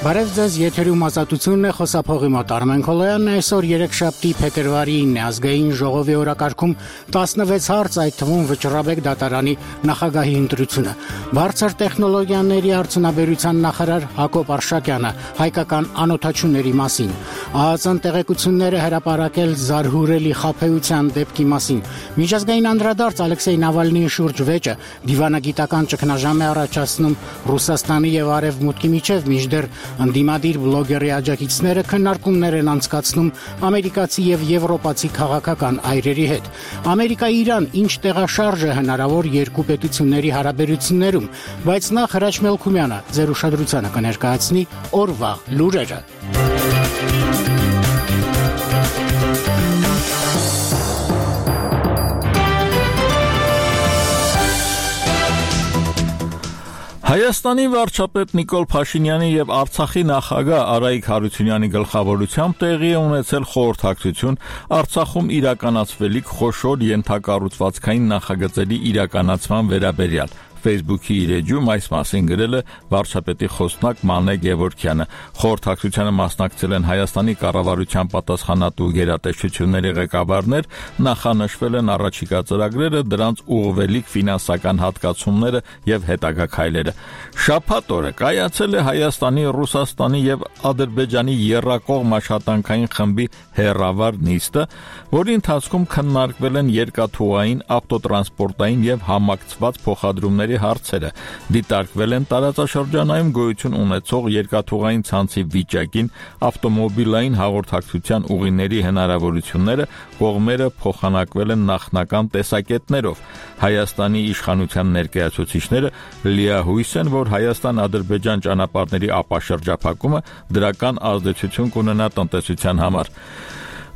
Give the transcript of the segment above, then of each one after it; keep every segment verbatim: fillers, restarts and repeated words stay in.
Բարև ձեզ, եթերում ազատությունն է, խոսափողի մոտ Արմեն Քոլոյանն է, այսօր երեքշաբթի փետրվարի ինը ազգային ժողովի օրակարգում տասնվեց հարց, այդ թվում Վճռաբեկ դատարանի նախագահի ընտրությունը։ Բարձր տեխնոլոգիաների արդյունաբերության նախարար Հակոբ Արշակյանը հայկական անօթաչուների մասին, ԱԱԾ-ն տեղեկությունները հրապարակել զարհուրելի խաբեության դեպքի մասին, միջազգային անդրադարձ Ալեքսեյ Նավալնիի շուրջ վեճը դիվանագիտական ճգնաժամ է առաջացնում Ռուսաստանի եւ Արևմուտքի միջև, մինչդեռ Անդիմադիր բլոգերի աջակիցները քննարկումներ են անցկացնում ամերիկացի եւ եվրոպացի քաղաքական այրերի հետ։ Ամերիկա-Իրան ինչ տեղաշարժ է հնարավոր երկու պետությունների հարաբերություններում, բայց նախ Հրաչ Մելքումյանը ձեր ուշադրությանը կներկայացնի օրվա լուրերը։ Հայաստանի վարչապետ Նիկոլ Փաշինյանի եւ Արցախի նախագահ Արայիկ Հարությունյանի գլխավորությամբ տեղի է ունեցել խորհրդակցություն Արցախում իրականացվելիք խոշոր ենթակառուցվածքային նախագծերի իրականացման վերաբերյալ։ Facebook-ի իր էջում այս մասին գրել է վարչապետի խոսնակ Մանե Գևորգյանը։ Խորհրդակցությանը մասնակցել են Հայաստանի կառավարության պատասխանատու գերատեսչությունների ղեկավարներ, նախանշվել են առաջիկա ծրագրերը, դրանց ուղղվելիք ֆինանսական հատկացումները եւ հետագա քայլերը։ Շաբաթ օրը կայացել է Հայաստանի, Ռուսաստանի եւ Ադրբեջանի եռակողմ աշխատանքային խմբի հերավար նիստը, որի ընթացքում քննարկվել են երկաթուղային, ավտոտրանսպորտային եւ համակցված փոխադրումների հարցերը, դիտարկվել են տարածաշրջանայում գոյություն ունեցող երկաթուղային ցանցի վիճակին, ավտոմոբիլային հաղորդակցության ուղիների հնարավորությունները, կողմերը փոխանակվել են նախնական տեսակետներով։ Հայաստանի իշխանության ներկայացուցիչները լիահույս են, որ Հայաստան-Ադրբեջան ճանապարհների ապաշրջափակումը դրական ազդեցություն կունենա տնտեսության համար։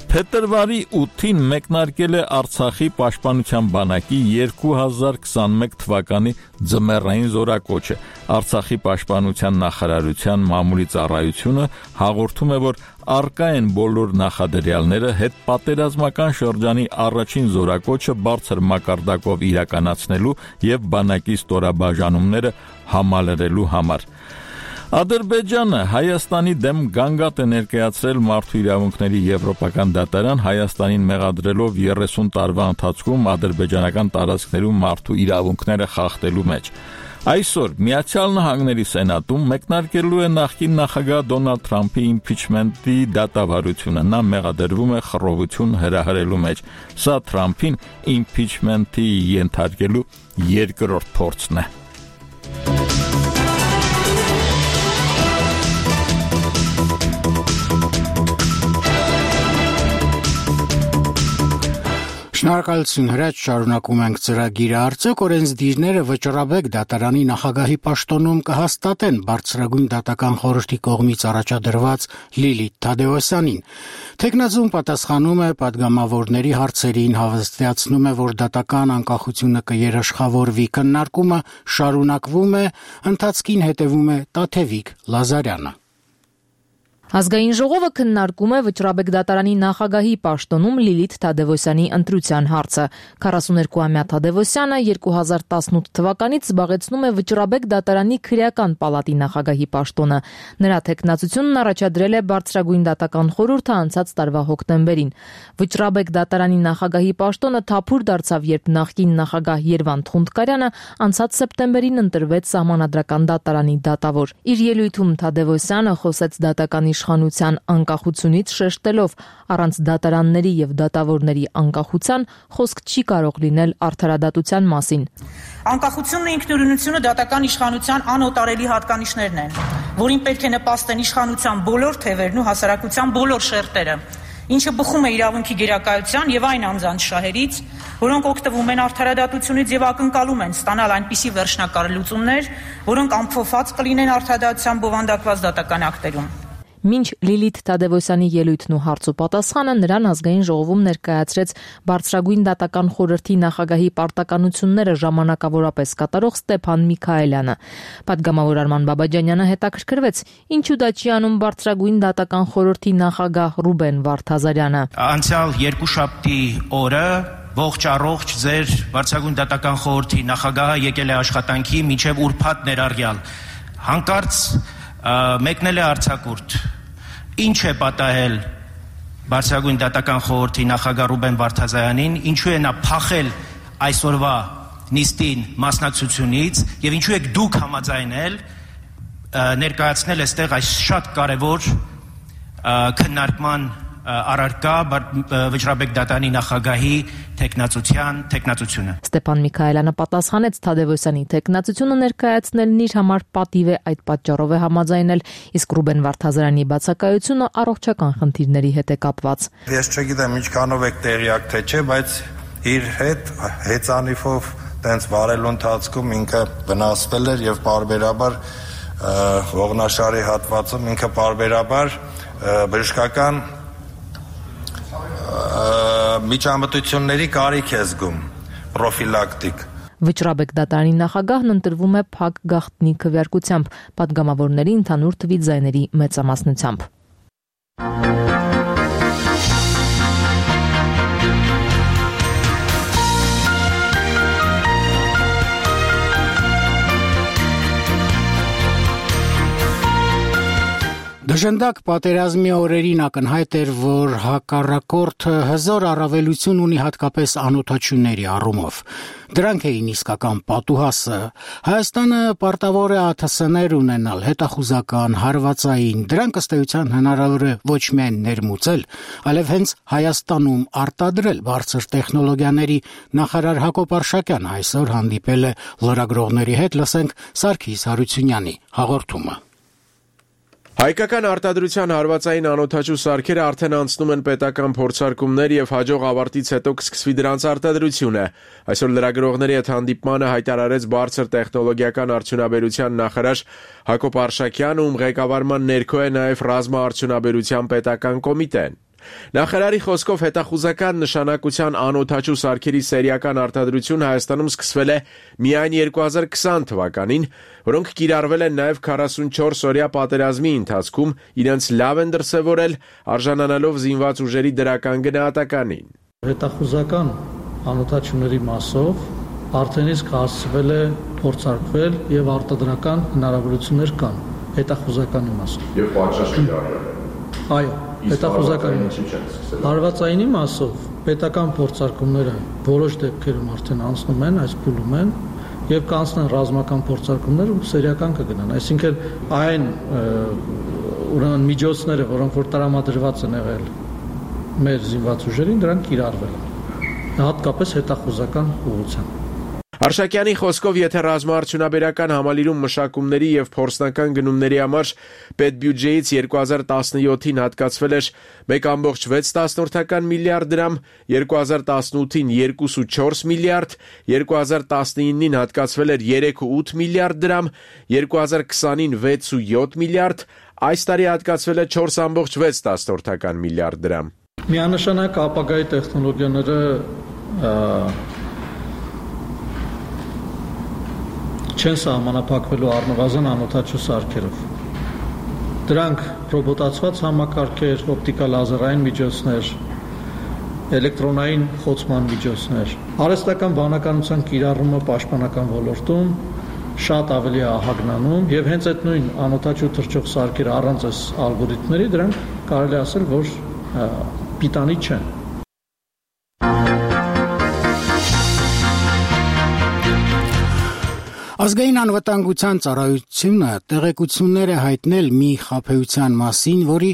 Փետրվարի ութին մեկնարկել է Արցախի պաշտպանության բանակի երկու հազար քսանմեկ թվականի ձմեռային զորակոչը։ Արցախի պաշտպանության նախարարության մամուլի ծառայությունը հաղորդում է, որ առկա են բոլոր նախադրյալները հետպատերազմական շրջանի առաջին զորակոչը բարձր մակարդակով իրականացնելու եւ բանակի ստորաբաժանումները համալրելու համար։ Ադրբեջանը Հայաստանի դեմ գանգատ է ներկայացրել մարդու իրավունքների եվրոպական դատարան, Հայաստանին մեղադրելով երեսուն տարվա ընթացքում ադրբեջանական տարածքներում մարդու իրավունքները խախտելու մեջ։ Այսօր Միացյալ Նահանգների Սենատում մեկնարկելու է նախկին նախագահ Դոնալդ Թրամփի իմպիչմենտի դատավարությունը։ Նա մեղադրվում է խռովություն հրահրելու մեջ։ Սա Թրամփին իմպիչմենտի ենթարկելու երկրորդ փորձն է։ Շնորհակալություն, Հրաչ, շարունակում ենք ծրագիրը։ Արդյոք օրենսդիրները Վճռաբեկ դատարանի նախագահի պաշտոնում կհաստատեն բարձրագույն դատական խորհրդի կողմից առաջադրված Լիլիթ Թադևոսյանին։ Թեկնածուն պատասխանում է պատգամավորների հարցերին, հավաստիացնում է, որ դատական անկախությունը կերաշխավորվի, քննարկումը շարունակվում է, ընթացքին հետևում է Տաթևիկ Լազարյանը։ Ազգային ժողովը քննարկում է Վճռաբեկ դատարանի նախագահի պաշտոնում Լիլիթ Թադևոսյանի ընտրության հարցը։ քառասուներկուամյա Թադևոսյանը երկու հազար տասնութ թվականից զբաղեցնում է Վճռաբեկ դատարանի քրեական պալատի նախագահի պաշտոնը։ Նրա թեկնածությունն առաջադրել է բարձրագույն դատական խորհուրդը անցած տարվա հոկտեմբերին։ Վճռաբեկ դատարանի նախագահի պաշտոնը թափուր դարձավ, երբ նախկին նախագահ Երվանդ Խունդկարյանը անցած սեպտեմբերին ընտրվեց Սահմանադրական դատարանի դատավոր։ Իր ելույթում Թադևոսյանը խոսեց դատական իշխանության անկախությունից, շեշտելով առանց դատարանների եւ դատավորների անկախության խոսք չի կարող լինել արդարադատության մասին։ Անկախությունն ու ինքնուրույնությունը դատական իշխանության անօտարելի հատկանիշներն են, որին պետք է նպաստեն իշխանության բոլոր թևերն ու հասարակության բոլոր շերտերը, ինչը բխում է իրավունքի գերակայության եւ այն անձանց շահերից, որոնք օգտվում են արդարադատությունից եւ ակնկալում են ստանալ այնպիսի վերջնակար լուծումներ, որոնք ամփոփված կլինեն արդարադատության բովանդակված դատական ակտերում։ Մինչ Լիլիթ Թադևոսյանի ելույթն ու հարց ու պատասխանը նրան ազգային ժողովում ներկայացրեց բարձրագույն դատական խորհրդի նախագահի պարտականությունները ժամանակավորապես կատարող Ստեփան Միքայելյանը։ Պատգամավոր Արման Բաբաջանյանը հետաքրքրվեց, ինչու դա չի անում բարձրագույն դատական խորհրդի նախագահ Ռուբեն Վարդազարյանը։ Անցյալ երկուշաբթի օրը ողջ առողջ ձեր բարձրագույն դատական խորհրդի նախագահը եկել է աշխատանքի մինչև ուրբաթ ներառյալ։ Հանկարծ մեկնել է արձակուրդ։ Ինչ է պատահել Բարձրագույն դատական խորհրդի նախագահ Ռուբեն Վարդազյանին, ինչու է նա փախել այսօրվա նիստին մասնակցությունից եւ ինչու եք դուք համաձայնել ներկայացնել այստեղ այս շատ կարևոր քննարկման առարկա Վճռաբեկ Դատարանի նախագահի տեխնացության տեխնացությունը։ Ստեփան Միքայելյանը պատասխանեց Թադևոսյանի տեխնացությունը ներկայացնելն իր համար պատիվ է, այդ պատճառով է համաձայնել, իսկ Ռուբեն Վարդազարյանի բացակայությունը առողջական խնդիրների հետ է կապված։ Ես չգիտեմ ինչքանով եք տեղյակ թե չէ, բայց իր հետ հեծանիվով տենց վարելու ընթացքում ինքը վնասվել էր եւ պարբերաբար ողնաշարի հատվածում ինքը պարբերաբար բժշկական միջամտությունների կարիք է զգում, պրոֆիլակտիկ։ Վճռաբեկ դատարանի նախագահն ընտրվում է փակ գաղտնի քվեարկությամբ, պատգամավորների ընդհանուր թվի ձայների մեծամասնությամբ։ Դժնդակ պատերազմի օրերին ակնհայտ էր, որ հակառակորդը հզոր առավելություն ունի հատկապես անօթաչուների առումով։ Դրանք էին իսկական պատուհասը։ Հայաստանը պարտավոր է ԱԹՍ-ներ ունենալ, հետախուզական, հարվածային, դրանք ըստ էության հնարավոր է ոչ միայն ներմուծել, այլև հենց Հայաստանում արտադրել բարձր տեխնոլոգիաների նախարար Հակոբ Արշակյանը այսօր հանդիպել է լրագրողների հետ, լսենք Սարգիս Հարությունյանի հաղորդումը։ Հայկական արտադրության հարվածային անօթաչու սարքերը արդեն անցնում են պետական փորձարկումներ եւ հաջող ավարտից հետո կսկսվի դրանց արտադրությունը։ Այսօր լրագրողների հետ հանդիպմանը հայտարարեց բարձր տեխնոլոգիական արդյունաբերության նախարար Հակոբ Արշակյանը, ում ղեկավարման ներքո է նաեւ ռազմաարդյունաբերության պետական կոմիտեն։ Նախարարի խոսքով հետախուզական նշանակության անօթաչու սարքերի սերիական արտադրություն Հայաստանում սկսվել է միայն երկու հազար քսան թվականին, որոնք կիրառվել են նաև քառասունչորս օրյա պատերազմի ընթացքում, իրենց լավ են դրսևորել, արժանանալով զինված ուժերի դրական գնահատականին։ Հետախուզական անօթաչուների մասով արդեն իսկ հասցվել է փորձարկվել եւ արտադրական հնարավորություններ կան հետախուզականի մասով։ Եվ պատշաճ կիրառվել։ Այո, հետախուզականի հարվածայինի մասով պետական փորձարկումները որոշ դեպքերում արդեն անցնում են, այս փուլում են եւ կանցնեն ռազմական փորձարկումներ ու սերիական կգնան, այսինքն այն ուրեմն միջոցները, որոնք որ տրամադրված են եղել մեր զինված ուժերին, դրանք կիրառվել են հատկապես հետախուզական ուղղությամբ։ Արշակյանի խոսքով, եթե ռազմաարդյունաբերական համալիրում մշակումների եւ փորձնական գնումների համար պետբյուջեից երկու հազար տասնյոթին հատկացվել էր մեկ կόμma վեց միլիարդ դրամ, երկու հազար տասնութին երկու կόμma չորս միլիարդ, երկու հազար տասնինին հատկացվել էր երեք կόμma ութ միլիարդ դրամ, երկու հազար քսանին վեց կόμma յոթ միլիարդ, այս տարի հատկացվել է չորս կόμma վեց միլիարդ դրամ։ Միանշանակ ապագայի տեխնոլոգիաները չեն սահմանափակվելու առնվազն անօթաչու սարքերով։ Դրանք ռոբոտացված համակարգեր, օպտիկալ լազերային միջոցներ, էլեկտրոնային խոցման միջոցներ, արհեստական բանականության կիրառումը պաշտպանական ոլորտում շատ ավելի է ահագնանում եւ հենց այդ նույն անօթաչու թռչող սարքերը առանց այս ալգորիթմների դրանք կարելի ասել, որ պիտանի չեն։ Ազգային անվտանգության ծառայությունը տեղեկություններ է հայտնել մի խաբեության մասին, որի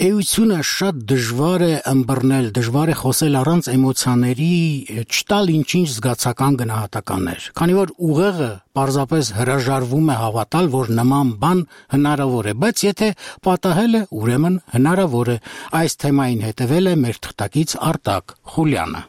էությունը շատ դժվար է ըմբռնել, դժվար է խոսել առանց էմոցիաների, չտալ ինչ-ինչ զգացական գնահատականներ, քանի որ ուղեղը պարզապես հրաժարվում է հավատալ, որ նման բան հնարավոր է, բայց եթե պատահել է, ուրեմն հնարավոր է։ Այս թեմային հետևել է մեր թղթակից Արտակ Խուլյանը։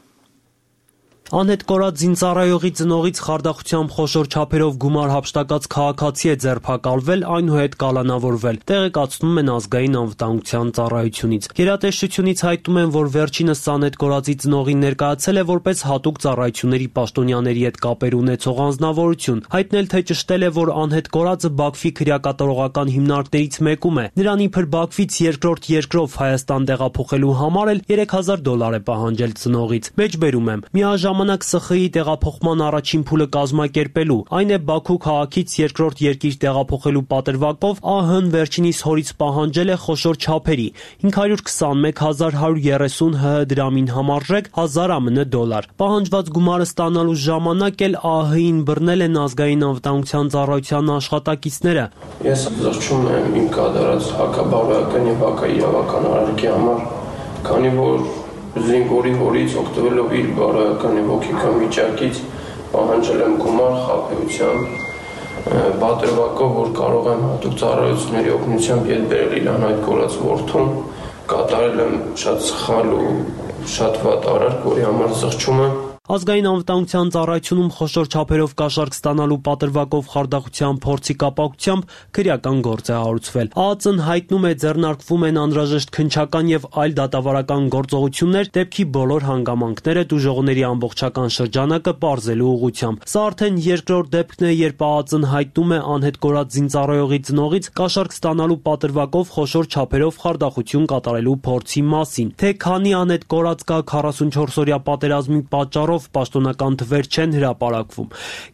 Անհետ կորած զինծառայողի ծնողից խարդախությամբ խոշոր չափերով գումար հափշտակած քաղաքացի է ձերբակալվել, այնուհետ կալանավորվել, տեղեկացնում են ազգային անվտանգության ծառայությունից։ Գերատեսչությունից հայտնում են, որ վերջինս անհետ կորածի ծնողին ներկայացել է որպես հատուկ ծառայությունների պաշտոնյաների հետ կապեր ունեցող անձնավորություն, հայտնել թե ճշտել է, որ անհետ կորածը Բաքվի քրեակատարողական հիմնարկներից մեկում է։ Նրան իբր Բաքվից երկրորդ երկրով Հայաստան տեղափոխելու համար էլ երեք հազար դոլար է պահանջել ծնողից։ Մեջբերում եմ, միաժամանակ ժամանակ Ս Խ Ի տեղափոխման առաջին փուլը կազմակերպելու, այն է Բաքու քաղաքից երկրորդ երկիր տեղափոխելու պատրվակով Ա Հ-ն վերջինիս հորից պահանջել է խոշոր չափերի հինգ հարյուր քսանմեկ հազար հարյուր երեսուն Հ Հ դրամին համարժեք հազար ԱՄՆ դոլար։ Պահանջված գումարը ստանալու ժամանակ էլ Ա Հ-ին բռնել են ազգային անվտանգության ծառայության աշխատակիցները։ Ես զղջում եմ իմ կատարած հակաբարոյական եւ հակաիրավական արարքի համար, քանի որ զինվորի հորից օգտվելով իր բարոյական եւ հոգեկան վիճակից պահանջել եմ գումար խաբեությամբ պատրվակով, որ կարող եմ հատուկ ծառայությունների օգնությամբ յետ բերել իրան այդ կորած որդուն, կատարել եմ շատ սխալ ու շատ վատ արարք, որի համար զղջում եմ։ Ազգային անվտանգության ծառայությունում խոշոր չափերով կաշառք ստանալու պատրվակով խարդախության փորձի կապակցությամբ քրեական գործ է հարուցվել։ Ա Ծ Ն հայտնում է ձեռնարկվում են անհրաժեշտ քննչական եւ այլ դատավարական գործողություններ դեպքի բոլոր հանգամանքները դժողների ամբողջական շրջանակը պարզելու ուղղությամբ։ Սա արդեն երկրորդ դեպքն է, երբ Ա Ծ Ն հայտնում է անհետ կորած զինծառայողի ծնողից կաշառք ստանալու պատրվակով խոշոր չափերով խարդախություն կատարելու փորձի մասին։ Թե քանի անհետ կորած կա քառասունչորս օրյա պատերազմի պատճառով պաշտոնական թվեր չեն հրապարակվում։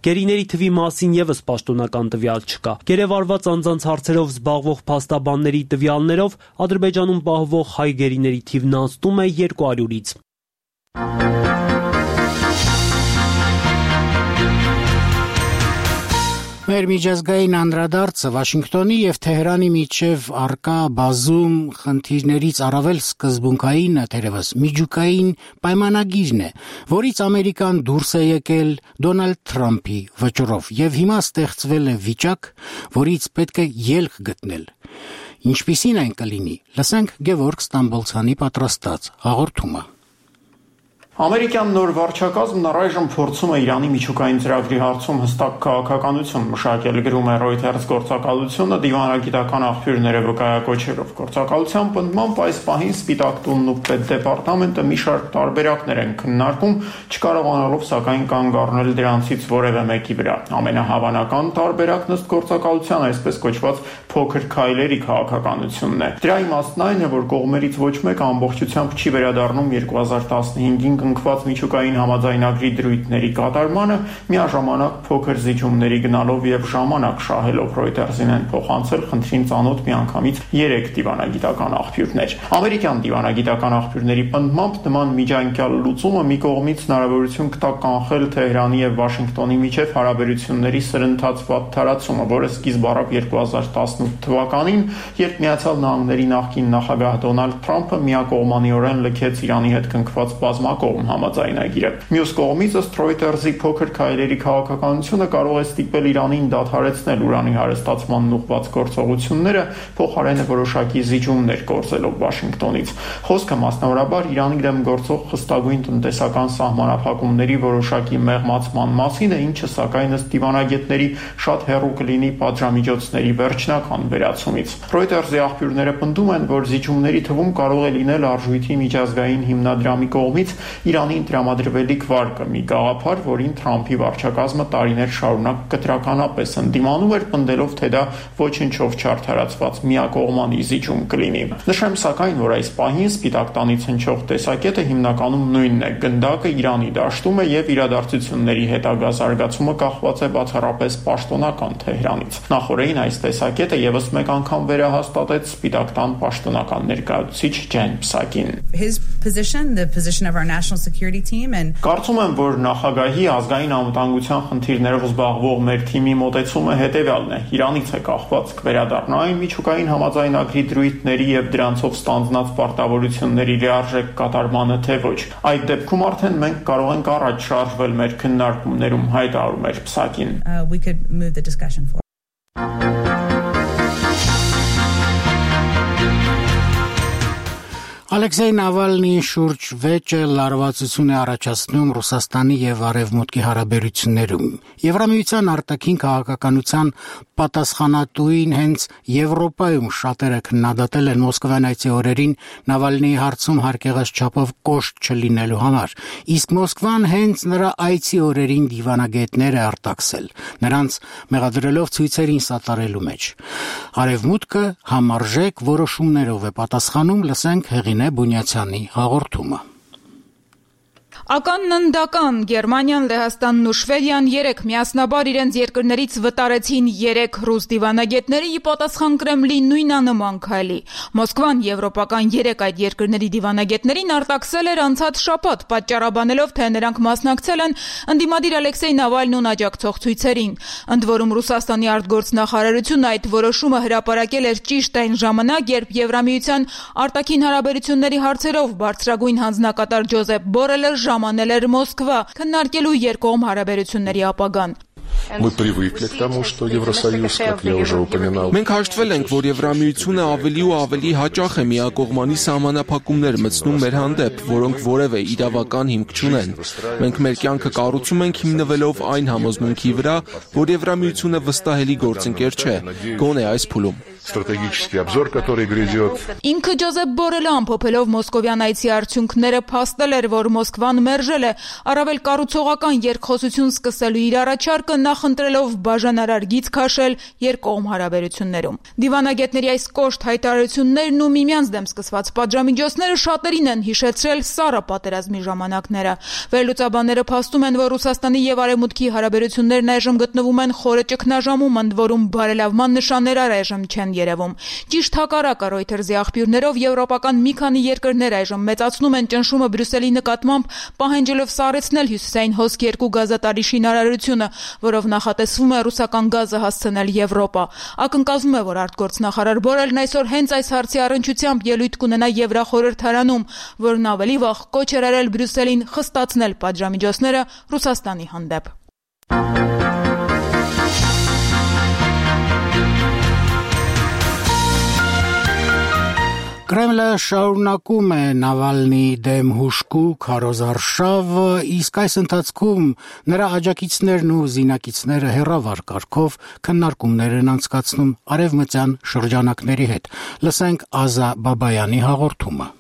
Գերիների թվի մասին եւս պաշտոնական տվյալ չկա։ Գերեվարված անձանց հարցերով զբաղվող փաստաբանների տվյալներով Ադրբեջանում պահվող հայ գերիների թիվն անցնում է երկու հարյուրից։ Մեր միջազգային անդրադարձը Վաշինգտոնի եւ Թեհրանի միջև արկա բազում խնդիրներից առավել սկզբունքայինը թերևս միջուկային պայմանագիրն է, որից Ամերիկան դուրս է եկել Դոնալդ Թրամփի վճռով եւ հիմա ստեղծվել է վիճակ, որից պետք է ելք գտնել։ Ինչպիսին այն կլինի, լսենք Գևորգ Ստամբոլցյանի պատրաստած հաղորդումը։ Ամերիկյան նոր վարչակազմն առայժմ փորձում է Իրանի միջուկային ծրագրի հարցում հստակ քաղաքականություն մշակել, գրում է Reuters գործակալությունը դիվանագիտական աղբյուրները վկայակոչելով։ Գործակալության պնդմամբ այս պահին Սպիտակ տունն ու Պետդեպարտամենտը մի շարք տարբերակներ են քննարկում, չկարողանալով սակայն կանգ առնել դրանցից որևէ մեկի վրա։ Ամենահավանական տարբերակն ըստ գործակալության այսպես կոչված փոքր քայլերի քաղաքականությունն է։ Դրա իմաստն այն է, որ կողմերից ոչ մեկը ամբողջությամբ չի վերադառնում երկու հազար տասնհինգին ընկված միջուկային համաձայնագրի դրույթների կատարմանը, միաժամանակ փոքր զիջումների գնալով եւ ժամանակ շահելով Reuters-ին են փոխանցել խնդրին ծանոթ միանգամից երեք դիվանագիտական աղբյուրներ։ Ամերիկյան դիվանագիտական աղբյուրների պնդմամբ նման միջանկյալ լուծումը մի կողմից հնարավորություն կտա կանխել Թեհրանի եւ Վաշինգտոնի միջև հարաբերությունների սրընթաց վատթարացումը, որը սկիզբ առավ երկու հազար տասնութ թվականին, երբ Միացյալ Նահանգների նախկին նախագահ Դոնալդ Թրամփը միակողմանիորեն լքեց Իրանի հետ կնքված բազմակողմ համաձայնագիրը։ Մյուս կողմից ըստ Reuters-ի փոքր քայլերի քաղաքականությունը կարող է ստիպել Իրանին դադարեցնել ուրանի հարստացմանն ուղղված գործողությունները, փոխարենը որոշակի զիջումներ կորզելով Վաշինգտոնից։ Խոսքը մասնավորաբար Իրանի դեմ գործող խստագույն տնտեսական սահմանափակումների որոշակի մեղմացման մասին է, ինչը սակայն ըստ դիվանագետների շատ հեռու կլինի պատժամիջոցների վերջնական վերացումից։ Reuters-ի աղբյուրները պնդում են, որ զիջումների թվում կարող է լինել արժույթի միջազգային հիմնադրամի կողմից Իրանին տրամադրվելիք վարկը, մի գաղափար, որին Թրամփի վարչակազմը տարիներ շարունակ կտրականապես ընդդիմանում էր, պնդելով, թե դա ոչնչով չարդարացված միակողմանի զիջում կլինի։ Նշեմ սակայն, որ այս պահին Սպիտակ տանից հնչող տեսակետը հիմնականում նույնն է՝ գնդակը Իրանի դաշտում է եւ իրադարձությունների հետագա զարգացումը կախված է բացառապես պաշտոնական Թեհրանից։ Նախորդին այս տեսակետը եւս մեկ անգամ վերահաստատեց Սպիտակ տան պաշտոնական ներկայացուցիչ Ջեն Պսակին։ His position, the position of our national security team and Կարծում եմ, որ նախագահի ազգային անվտանգության խնդիրներով զբաղվող մեր թիմի մոտեցումը հետեւյալն է. Իրանից է կախված կվերադառնա այն միջուկային համաձայնագրի դրույթների եւ դրանցով ստանձնած պարտավորությունների լիարժեք կատարմանը, թե ոչ։ Այդ դեպքում արդեն մենք կարող ենք առաջ շարժվել մեր քննարկումներում, հայտարարում էր Պսակին։ uh, we could move the discussion forward. Ալեքսեյ Նավալնիի շուրջ վեճը լարվածություն է առաջացնում Ռուսաստանի եւ Արևմուտքի հարաբերություններում։ Եվրամիության արտաքին քաղաքականության պատասխանատուին հենց Եվրոպայում շատերը քննադատել են Մոսկվայցի օրերին Նավալնիի հարցում հարկեղած չափով կոշտ չլինելու համար, իսկ Մոսկվան հենց նրա այցի օրերին դիվանագետներ է արտաքսել, նրանց մեղադրելով ցույցերին սատարելու մեջ։ Արևմուտքը համարժեք որոշումներով է պատասխանում, լսենք Հեղինե Բունյացյանի հաղորդումը։ Ականննդական Գերմանիան, Լեհաստանն ու Շվեդիան երեք միասնաբար իրենց երկրներից վտարեցին երեք ռուս դիվանագետների, ի պատասխան Կրեմլի նույնանման քայլի։ Մոսկվան եվրոպական երեք այդ երկրների դիվանագետներին արտաքսել էր անցած շաբաթ, պատճառաբանելով, թե նրանք մասնակցել են ընդդիմադիր Ալեքսեյ Նավալնուն աջակցող ցույցերին։ Ընդ որում Ռուսաստանի արտգործնախարարությունը այդ որոշումը հրապարակել էր ճիշտ այն ժամանակ, երբ Եվրամիության արտաքին հարաբերությունների հարցերով բարձրագույն հանձնակատար Ջոզեփ Բորելը ժամանել էր Մոսկվա, քննարկելու երկկողմ հարաբերությունների ապագան։ Մենք հաշտվել ենք, որ Եվրամիությունը ավելի ու ավելի հաճախ է միակողմանի սահմանափակումներ մտցնում մեր հանդեպ, որոնք որևէ իրավական հիմք չունեն։ Մենք մեր կյանքը կառուցում ենք հիմնվելով այն համոզմունքի վրա, որ Եվրամիությունը վստահելի գործընկեր չէ, գոնե այս փուլում։ Ինքը Ջոզեփ Բորելը ամփոփելով մոսկովյան այցի արդյունքները փաստել էր, որ Մոսկվան մերժել է առավել կառուցողական երկխոսություն սկսելու իր առաջարկը, նախընտրելով բաժանարար գիծ քաշել երկկողմ հարաբերություններում։ Դիվանագետների այս կոշտ հայտարարություններն ու միմյանց դեմ սկսված պատժամիջոցները շատերին են հիշեցրել սառը պատերազմի ժամանակները։ Վերլուծաբանները փաստում են, որ Ռուսաստանի եւ Արևմուտքի հարաբերություններն այժմ գտնվում են խորը ճգնաժամում, ընդ որում բարելավման նշաններ այժմ չեն երևում։ Ճիշտ հակառակը Reuters-ի աղբյուրներով եվրոպական մի քանի երկրներ այժմ մեծացնում են ճնշումը Բրյուսելի նկատմամբ, պահանջելով սառեցնել հյուսիսային հոսք երկու գազատարի շինարարությունը, որով նախատեսվում է ռուսական գազը հասցնել Եվրոպա։ Ակնկալվում է, որ արտգործնախարար Բորելն այսօր հենց այս հարցի առնչությամբ ելույթ կունենա Եվրախորհրդարանում, որն ավելի վաղ կոչ էր արել Բրյուսելին խստացնել պատժամիջոցները Ռուսաստանի հանդեպ։ Կրեմլը շարունակում է Նավալնիի դեմ հուժկու քարոզարշավ, իսկ այս ընթացքում նրա աջակիցներն ու զինակիցները հեռավար կարգով քննարկումներ են անցկացնում արևմտյան շրջանակների հետ։ Լսենք Ազա Բաբայանի հաղորդումը։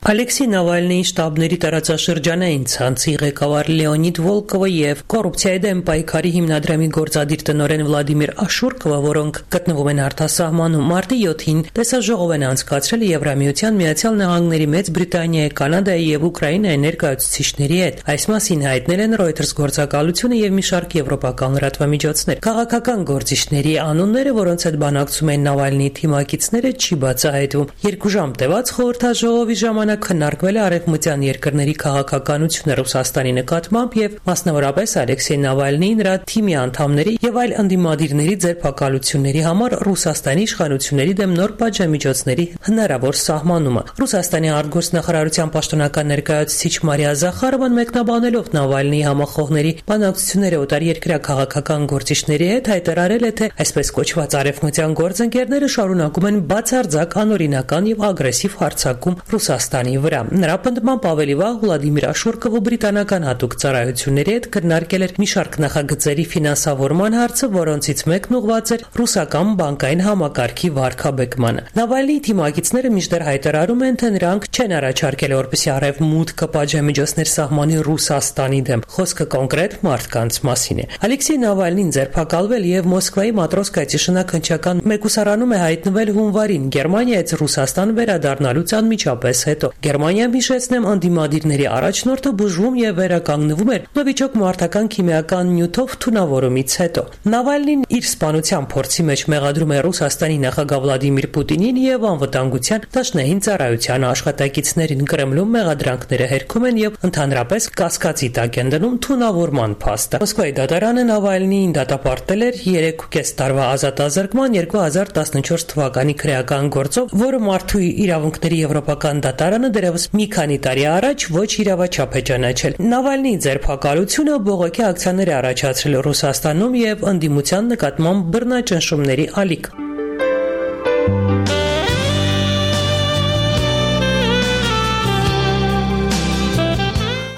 Ալեքսեյ Նավալնիի շտաբների տարածաշրջանային ցանցի ղեկավար Լեոնիդ Վոլկովը եւ կոռուպցիայի դեմ պայքարի հիմնադրամի գործադիր տնօրեն Վլադիմիր Աշուրկովը, որոնք գտնվում են արտասահմանում, մարտի յոթին տեսաժողով են անցկացրել Եվրամիության, Միացյալ Նահանգների, Մեծ Բրիտանիայի, Կանադայի եւ Ուկրաինայի ներկայացուցիչների հետ։ Այս մասին հայտնել են Reuters գործակալությունը եւ մի շարք եվրոպական լրատվամիջոցներ։ Քաղաքական գործիչների անունները, որոնց հետ բանակցում են Նավալնիի թիմակիցները, չի բացահայտվում։ Երկու ժամ տևած խորհրդաժողովի ժամանակ քննարկվել է արևմտյան երկրների քաղաքականությունը Ռուսաստանի նկատմամբ եւ մասնավորապես Ալեքսեյ Նավալնիի, նրա թիմի անդամների եւ այլ ընդդիմադիրների ձերբակալությունների համար Ռուսաստանի իշխանությունների դեմ նոր պատժամիջոցների հնարավոր սահմանումը։ Ռուսաստանի արտգործնախարարության պաշտոնական ներկայացուցիչ Մարիա Զախարովան մեկնաբանելով Նավալնիի համախոհների բանակցությունները օտարերկրյա քաղաքական գործիչների հետ հայտարարել է, թե այսպես կոչված արևմտյան գործընկերները շարունակում են բացարձակ անօրինական եւ ագրեսիվ հարձակում Ռուսաստանի վրա։ Նրա պնդմամբ ավելի վաղ Վլադիմիր Աշուրկովը բրիտանական հատուկ ծառայությունների հետ քննարկել էր մի շարք նախագծերի ֆինանսավորման հարցը, որոնցից մեկն ուղղված էր ռուսական բանկային համակարգի վարկաբեկմանը։ Նավալնիի թիմակիցները մինչդեռ հայտարարում են, թե նրանք չեն առաջարկել, որպեսզի արևմուտքը պատժամիջոցներ սահմանի Ռուսաստանի դեմ։ Խոսքը կոնկրետ մարդկանց մասին է։ Ալեքսեյ Նավալնին ձերբակալվել եւ Մոսկվայի Մատրոսկայցի շնաքննչական մեկուսարանում է հայտնվել հունվարին Գերմանիայից Ռուսաստան վերադառնալուց անմիջապես հետո։ Գերմանիան, հիշեցնեմ, անդիմադիրների առաջնորդը բուժվում եւ վերականգնվում էր նովիչոկ մարտական քիմիական նյութով թունավորումից հետո։ Նավալնին իր սպանության փորձի մեջ մեղադրում է Ռուսաստանի նախագահ Վլադիմիր Պուտինին եւ անվտանգության դաշնային ծառայության աշխատակիցներին։ Կրեմլում մեղադրանքները հերքում են եւ ընդհանրապես կասկածի տակ են դնում թունավորման փաստը։ Մոսկվայի դատարանը Նավալնիին դատապարտել էր երեքուկես տարվա ազատազրկման երկու հազար տասնչորս թվականի քրեական գործով, որը մարդու իրավունքների եվրոպական դատարանը դեռևս մի քանի տարի առաջ ոչ իրավաչափ է ճանաչել։ Նավալնիի ձերբակալությունը բողոքի ակցիաներ է առաջացրել Ռուսաստանում եւ ընդդիմության նկատմամբ բռնաճնշումների ալիք։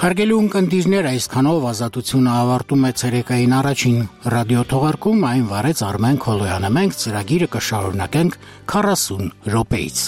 Հարգելի ունկնդիրներ, այսքանով Ազատությունը ավարտում է ցերեկային առաջին ռադիոթողարկում, այն վարեց Արմեն Քոլոյանը։ Մենք ծրագիրը կշարունակենք քառասուն րոպեից։